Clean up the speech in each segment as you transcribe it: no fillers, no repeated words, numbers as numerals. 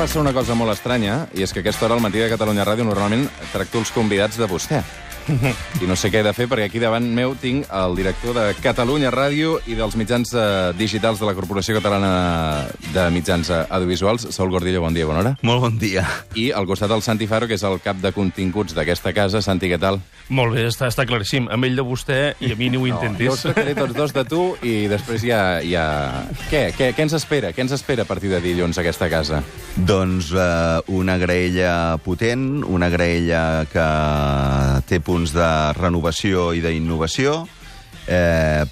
passa una cosa molt estranya, i és que a aquesta hora al Matí de Catalunya Ràdio normalment tracto els convidats de vostè. I no sé què he de fer, perquè aquí davant meu tinc el director de Catalunya Ràdio i dels mitjans digitals de la Corporació Catalana de Mitjans Audiovisuals. Saúl Gordillo, bon dia, bona hora. Molt bon dia. I al costat el Santi Faro, que és el cap de continguts d'aquesta casa. Santi, què tal? Molt bé, està claríssim. Amb ell de vostè i a mi ni ho intentis. Jo us tractaré tots dos de tu i després ja... Què ens espera? Què ens espera a partir de dilluns a aquesta casa? Doncs una graella potent, una graella que té punts de renovació i d'innovació,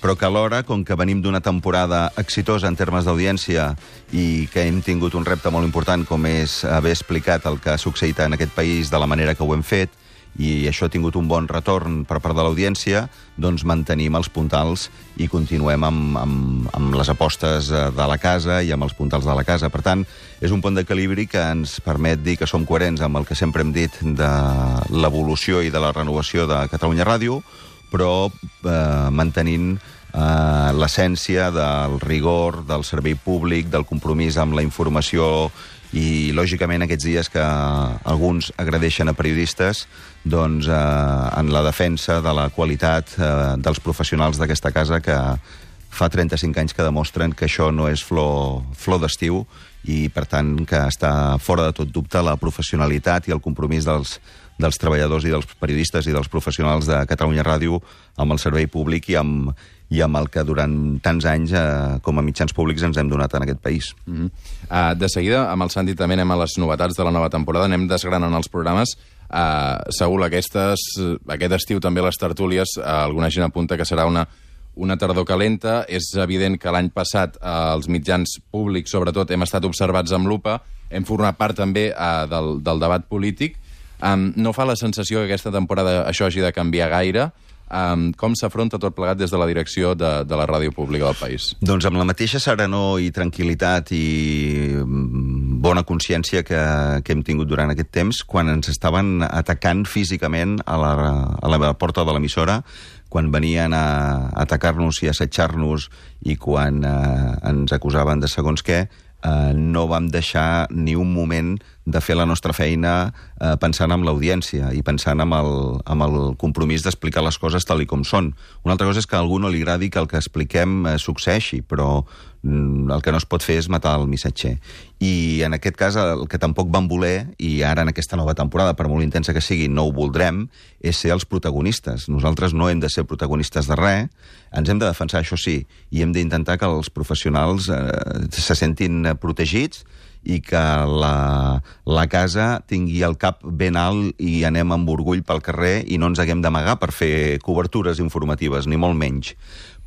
però que alhora, com que venim d'una temporada exitosa en termes d'audiència i que hem tingut un repte molt important, com és haver explicat el que ha succeït en aquest país de la manera que ho hem fet, i això ha tingut un bon retorn per part de l'audiència, doncs mantenim els puntals i continuem amb les apostes de la casa i amb els puntals de la casa. Per tant, és un pont d'equilibri que ens permet dir que som coherents amb el que sempre hem dit de l'evolució i de la renovació de Catalunya Ràdio, però mantenint l'essència del rigor, del servei públic, del compromís amb la informació i, lògicament, aquests dies que alguns agredeixen a periodistes, doncs en la defensa de la qualitat dels professionals d'aquesta casa, que fa 35 anys que demostren que això no és flor d'estiu i, per tant, que està fora de tot dubte la professionalitat i el compromís dels treballadors i dels periodistes i dels professionals de Catalunya Ràdio amb el servei públic i amb el que durant tants anys com a mitjans públics ens hem donat en aquest país. De seguida, amb el Santi també anem a les novetats de la nova temporada, anem desgranant els programes. Saúl, aquest estiu també les tertúlies, alguna gent apunta que serà una tardor calenta. És evident que l'any passat els mitjans públics, sobretot, hem estat observats amb lupa, hem format part també del debat polític. No fa la sensació que aquesta temporada això hagi de canviar gaire? Com s'afronta tot plegat des de la direcció de la ràdio pública del país? Doncs amb la mateixa serenor i tranquil·litat i bona consciència que hem tingut durant aquest temps, quan ens estaven atacant físicament a la porta de l'emissora, quan venien a atacar-nos i a assetjar-nos i quan ens acusaven de segons què, no vam deixar ni un moment de fer la nostra feina pensant en l'audiència i pensant en el compromís d'explicar les coses tal i com són. Una altra cosa és que a algú no li agradi que el que expliquem succeeixi, però el que no es pot fer és matar el missatger. I en aquest cas el que tampoc vam voler, i ara en aquesta nova temporada, per molt intensa que sigui, no ho voldrem, és ser els protagonistes. Nosaltres no hem de ser protagonistes de res, ens hem de defensar, això sí, i hem d'intentar que els professionals se sentin protegits i que la casa tingui el cap ben alt i anem amb orgull pel carrer i no ens haguem d'amagar per fer cobertures informatives, ni molt menys.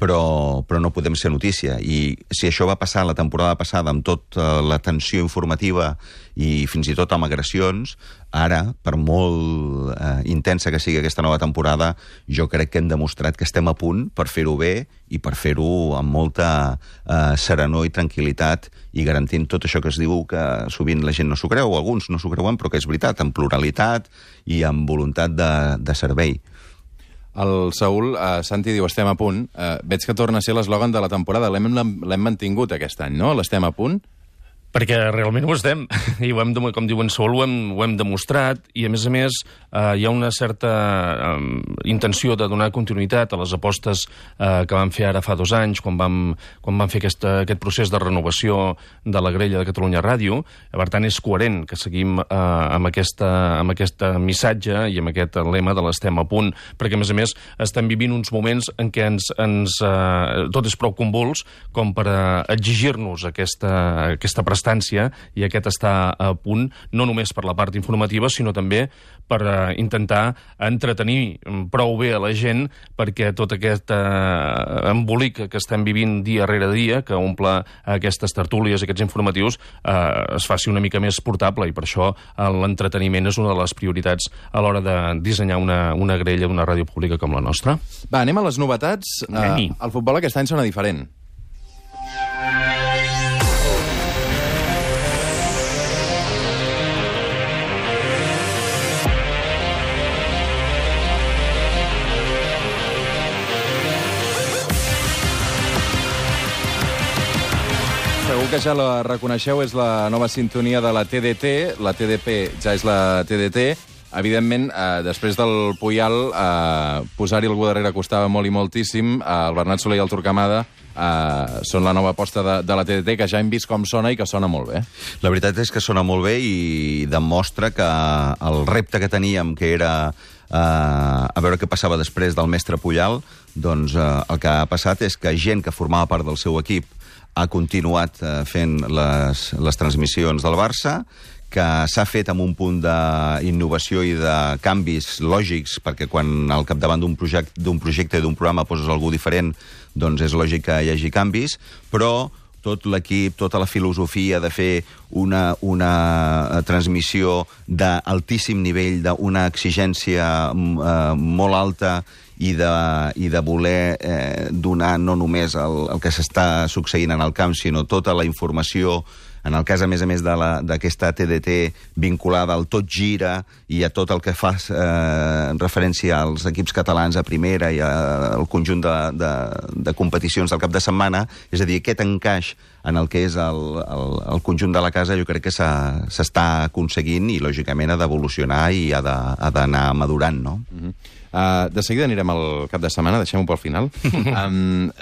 Però no podem ser notícia. I si això va passar la temporada passada amb tota la tensió informativa i fins i tot amb agressions, ara, per molt intensa que sigui aquesta nova temporada, jo crec que hem demostrat que estem a punt per fer-ho bé i per fer-ho amb molta serenor i tranquil·litat i garantint tot això que es diu que sovint la gent no s'ho creu, o alguns no s'ho creuen, però que és veritat, amb pluralitat i amb voluntat de servei. El Saúl, Santi diu, estem a punt. Veig que torna a ser l'eslògan de la temporada. L'hem mantingut aquest any, no? L'estem a punt? Perquè realment ho estem, i ho hem, com diu en Saúl, ho hem demostrat, i a més hi ha una certa intenció de donar continuïtat a les apostes que vam fer ara fa 2 anys, quan vam fer aquest procés de renovació de la grella de Catalunya Ràdio. Per tant, és coherent que seguim amb aquest missatge i amb aquest lema de l'estem a punt, perquè a més estem vivint uns moments en què tot és prou convuls com per exigir-nos aquesta prestació i aquest està a punt, no només per la part informativa, sinó també per intentar entretenir prou bé a la gent perquè tot aquest embolic que estem vivint dia rere dia, que omple aquestes tertúlies, aquests informatius, es faci una mica més portable, i per això l'entreteniment és una de les prioritats a l'hora de dissenyar una grella d'una ràdio pública com la nostra. Va, anem a les novetats. El futbol aquest any sona diferent. Segur que ja la reconeixeu, és la nova sintonia de la TDT. La TDP ja és la TDT. Evidentment, després del Puyal, posar-hi algú darrere costava molt i moltíssim. El Bernat Soler i el Turcamada són la nova aposta de la TDT, que ja hem vist com sona i que sona molt bé. La veritat és que sona molt bé i demostra que el repte que teníem, que era a veure què passava després del mestre Puyal, doncs el que ha passat és que gent que formava part del seu equip ha continuat fent les transmissions del Barça, que s'ha fet amb un punt d'innovació i de canvis lògics, perquè quan al capdavant d'un projecte i d'un programa poses algú diferent, doncs és lògic que hi hagi canvis, però tot l'equip, tota la filosofia de fer una transmissió d'altíssim nivell, d'una exigència molt alta i de voler donar no només el que s'està succeint en el camp, sinó tota la informació, en el cas, a més d'aquesta TDT vinculada al Tot Gira i a tot el que fa referència als equips catalans a primera i al conjunt de competicions del cap de setmana, és a dir, aquest encaix en el que és el conjunt de la casa, jo crec que s'està aconseguint i, lògicament, ha d'evolucionar i ha d'anar madurant, no? De seguida anirem al cap de setmana, deixem-ho pel final.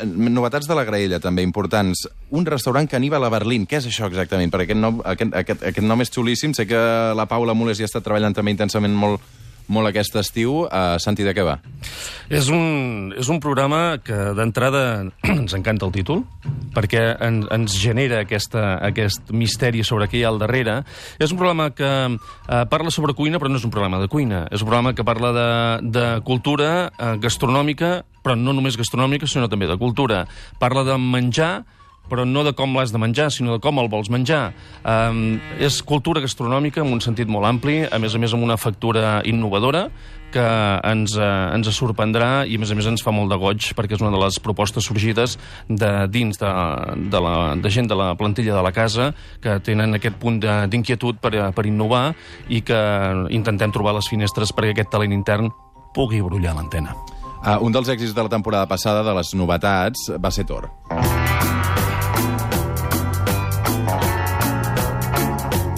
Novetats de la graella, també, importants. Un restaurant caníbal a Berlín. Què és això exactament? Perquè aquest nom és xulíssim. Sé que la Paula Mules hi ha estat treballant també intensament molt aquest estiu. Santi, de què va? És un programa que, d'entrada, ens encanta el títol, perquè ens genera aquest misteri sobre què hi ha al darrere. És un programa que parla sobre cuina, però no és un programa de cuina. És un programa que parla de cultura gastronòmica, però no només gastronòmica, sinó també de cultura. Parla de menjar, però no de com l'has de menjar, sinó de com el vols menjar. És cultura gastronòmica en un sentit molt ampli, a més amb una factura innovadora, que ens sorprendrà i, a més ens fa molt de goig, perquè és una de les propostes sorgides dins de gent de la plantilla de la casa, que tenen aquest punt d'inquietud per innovar i que intentem trobar les finestres perquè aquest talent intern pugui brollar l'antena. Un dels èxits de la temporada passada, de les novetats, va ser Tor.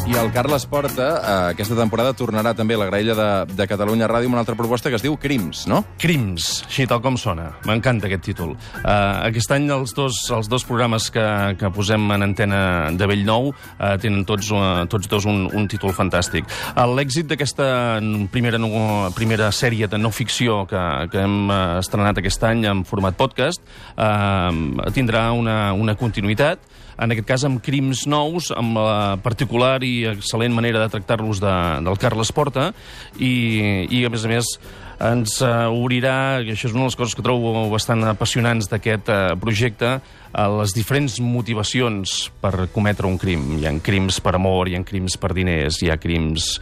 I el Carles Porta, aquesta temporada, tornarà també a la graella de Catalunya Ràdio amb una altra proposta que es diu Crims, no? Crims, així tal com sona. M'encanta aquest títol. Aquest any els dos programes que posem en antena de Bellnou tenen tots dos un títol fantàstic. L'èxit d'aquesta primera sèrie de no ficció que hem estrenat aquest any en format podcast tindrà una continuïtat, en aquest cas amb crims nous, amb la particular i excel·lent manera de tractar-los del Carles Porta, i a més ens obrirà, i això és una de les coses que trobo bastant apassionants d'aquest projecte, les diferents motivacions per cometre un crim. Hi ha crims per amor, hi ha crims per diners, hi ha crims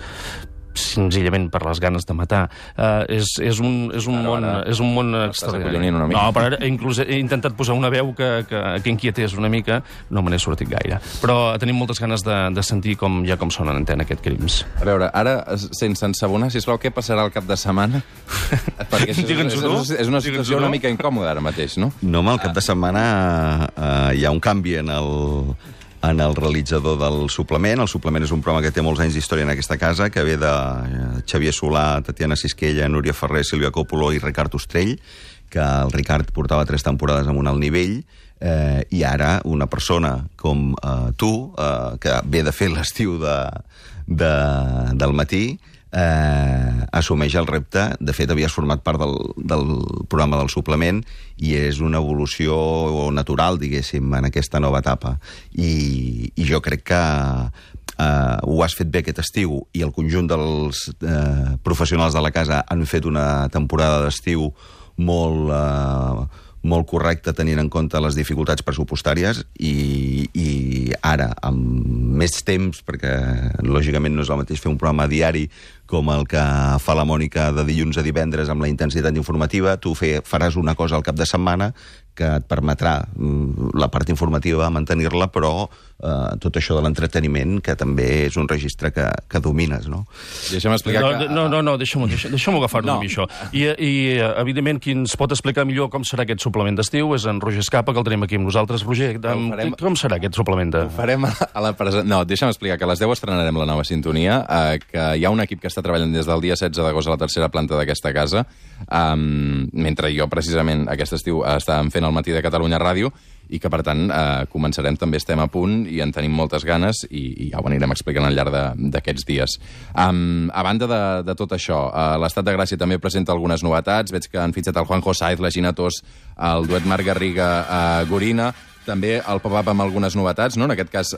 senzillament per les ganes de matar. És un món extraordinari. No, però inclús he intentat posar una veu que inquietés una mica, no me n'he sortit gaire. Però tenim moltes ganes de sentir com sona en antena aquest Crims. A veure, ara, sense ensabonar, sisplau, què passarà el cap de setmana? Perquè és una situació una mica incòmoda ara mateix, no? No, home, el cap de setmana hi ha un canvi en el realitzador del suplement. El suplement és un programa que té molts anys d'història en aquesta casa, que ve de Xavier Solà, Tatiana Sisquella, Núria Ferrer, Sílvia Coppola i Ricard Ostrell, que el Ricard portava 3 temporades amb un alt nivell, i ara una persona com tu, que ve de fer l'estiu del matí, assumeix el repte. De fet, havies format part del programa del suplement i és una evolució natural, diguéssim, en aquesta nova etapa. I jo crec que ho has fet bé aquest estiu i el conjunt dels professionals de la casa han fet una temporada d'estiu molt correcta, tenint en compte les dificultats pressupostàries, i ara, amb més temps, perquè lògicament no és el mateix fer un programa diari com el que fa la Mònica de dilluns a divendres amb la intensitat informativa. Tu faràs una cosa al cap de setmana que et permetrà la part informativa mantenir-la, però tot això de l'entreteniment, que també és un registre que domines, no? Deixa'm explicar que... No, deixa'm agafar-ho a mi, això. I evidentment, qui ens pot explicar millor com serà aquest suplement d'estiu és en Roger Escapa, que el tenim aquí amb nosaltres. Roger, com serà aquest suplement de... Ho farem a la presentació. No, deixa'm explicar que a les 10 estrenarem la nova sintonia, que hi ha un equip que està treballant des del dia 16 d'agost a la tercera planta d'aquesta casa, mentre jo, precisament, aquest estiu estàvem fent el Matí de Catalunya Ràdio, i que, per tant, començarem, també estem a punt i en tenim moltes ganes i ja ho anirem explicant al llarg d'aquests dies. A banda de tot això, l'Estat de Gràcia també presenta algunes novetats. Veig que han fitxat el Juanjo Saiz, la Gina Tos, el duet Marc Garriga-Gorina, també el pop-up amb algunes novetats, no? En aquest cas,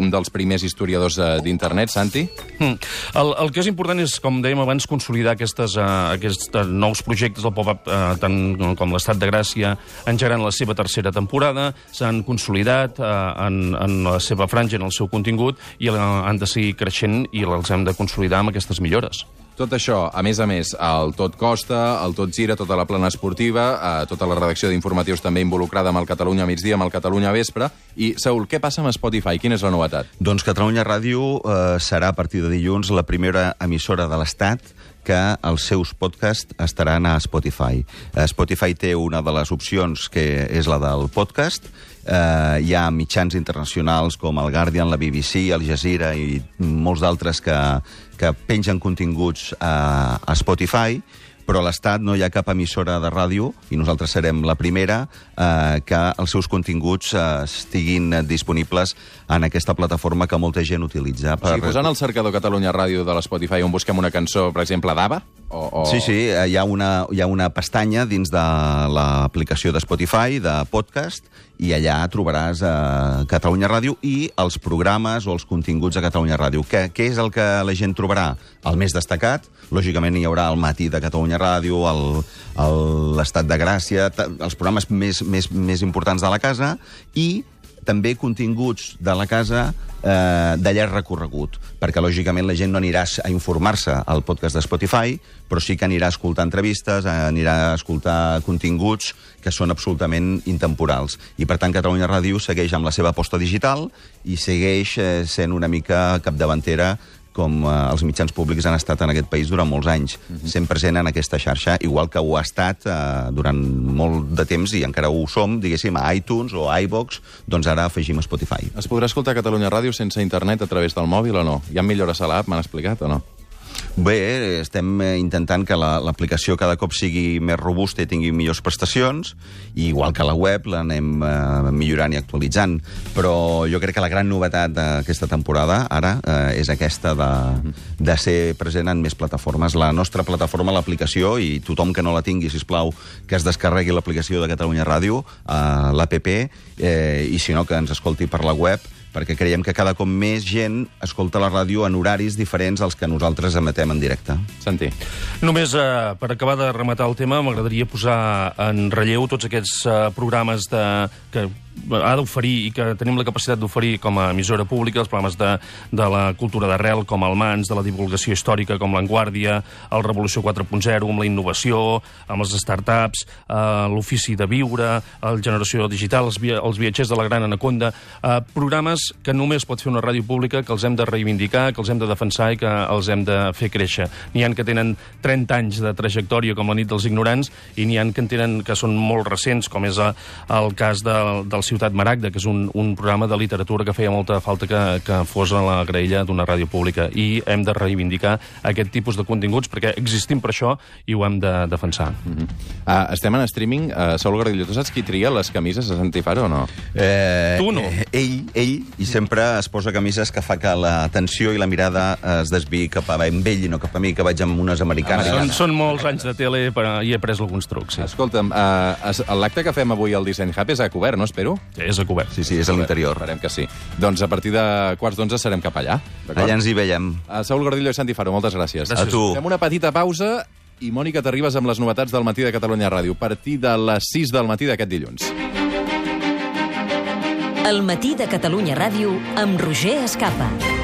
un dels primers historiadors d'internet, Santi. El que és important és, com dèiem abans, consolidar aquests nous projectes del pop-up, tant com l'Estat de Gràcia, engegant la seva tercera temporada, s'han consolidat en la seva franja, en el seu contingut, i han de seguir creixent i els hem de consolidar amb aquestes millores. Tot això, a més, el Tot Costa, el Tot Gira, tota la plana esportiva, tota la redacció d'informatius també involucrada amb el Catalunya Migdia, amb el Catalunya Vespre. I, Saúl, què passa amb Spotify? Quina és la novetat? Doncs Catalunya Ràdio serà a partir de dilluns la primera emissora de l'Estat que els seus podcasts estaran a Spotify. Spotify té una de les opcions, que és la del podcast. Hi ha mitjans internacionals com el Guardian, la BBC, Al Jazeera i molts d'altres que pengen continguts a Spotify, però a l'Estat no hi ha cap emissora de ràdio, i nosaltres serem la primera, que els seus continguts estiguin disponibles en aquesta plataforma que molta gent utilitza. O sigui, posant el cercador Catalunya Ràdio de l'Spotify on busquem una cançó, per exemple, d'ABBA? Sí, hi ha una pestanya dins de l'aplicació de Spotify, de podcast, i allà trobaràs Catalunya Ràdio i els programes o els continguts de Catalunya Ràdio. Què és el que la gent trobarà? El més destacat, lògicament hi haurà el Matí de Catalunya Ràdio, l'Estat de Gràcia, els programes més importants de la casa, i també continguts de la casa de llarg recorregut, perquè lògicament la gent no anirà a informar-se al podcast de Spotify, però sí que anirà a escoltar entrevistes, anirà a escoltar continguts que són absolutament intemporals. I per tant Catalunya Ràdio segueix amb la seva aposta digital i segueix sent una mica capdavantera com els mitjans públics han estat en aquest país durant molts anys, sent present en aquesta xarxa, igual que ho ha estat durant molt de temps, i encara ho som, diguéssim, a iTunes o a iVox, doncs ara afegim Spotify. Es podrà escoltar Catalunya Ràdio sense internet a través del mòbil o no? Hi ha millores a l'app, m'han explicat, o no? Bé, estem intentant que l'aplicació cada cop sigui més robusta i tingui millors prestacions, i igual que la web l'anem millorant i actualitzant. Però jo crec que la gran novetat d'aquesta temporada, ara, és aquesta de ser present en més plataformes. La nostra plataforma, l'aplicació, i tothom que no la tingui, sisplau, que es descarregui l'aplicació de Catalunya Ràdio, l'APP, i si no, que ens escolti per la web, perquè creiem que cada cop més gent escolta la ràdio en horaris diferents als que nosaltres emetem en directe. Santi. Només per acabar de rematar el tema, m'agradaria posar en relleu tots aquests programes que ha d'oferir i que tenim la capacitat d'oferir com a emissora pública, els programes de la cultura d'arrel, com el MANS, de la divulgació històrica, com l'Enguàrdia, el Revolució 4.0, amb la innovació, amb les startups, l'ofici de viure, el Generació Digital, els viatgers de la Gran Anaconda, programes que només pot fer una ràdio pública, que els hem de reivindicar, que els hem de defensar i que els hem de fer créixer. N'hi ha que tenen 30 anys de trajectòria, com la nit dels ignorants, i n'hi ha que són molt recents, com és el cas del Ciutat Maragda, que és un programa de literatura que feia molta falta que fos a la graella d'una ràdio pública, i hem de reivindicar aquest tipus de continguts perquè existim per això i ho hem de defensar. Estem en streaming. Saúl Gordillo, tu saps qui tria les camises a Santi Faro o no? Tu no. Ell, i sempre es posa camises que fa que l'atenció i la mirada es desviï cap a ell i no cap a mi, que vaig amb unes americanes. Són molts anys de tele i he après alguns trucs. Sí. Escolta'm, l'acte que fem avui al Design Hub és a cobert, no, espero? Sí, és a cobert. Sí, és a l'interior. Esperem que sí. Doncs a partir de 11:15 serem cap allà. Allà ens hi veiem. Saúl Gordillo i Santi Faro, moltes gràcies. Gràcies. A tu. Fem una petita pausa i, Mònica, t'arribes amb les novetats del Matí de Catalunya Ràdio a partir de les 6 del matí d'aquest dilluns. El matí de Catalunya Ràdio amb Roger Escapa.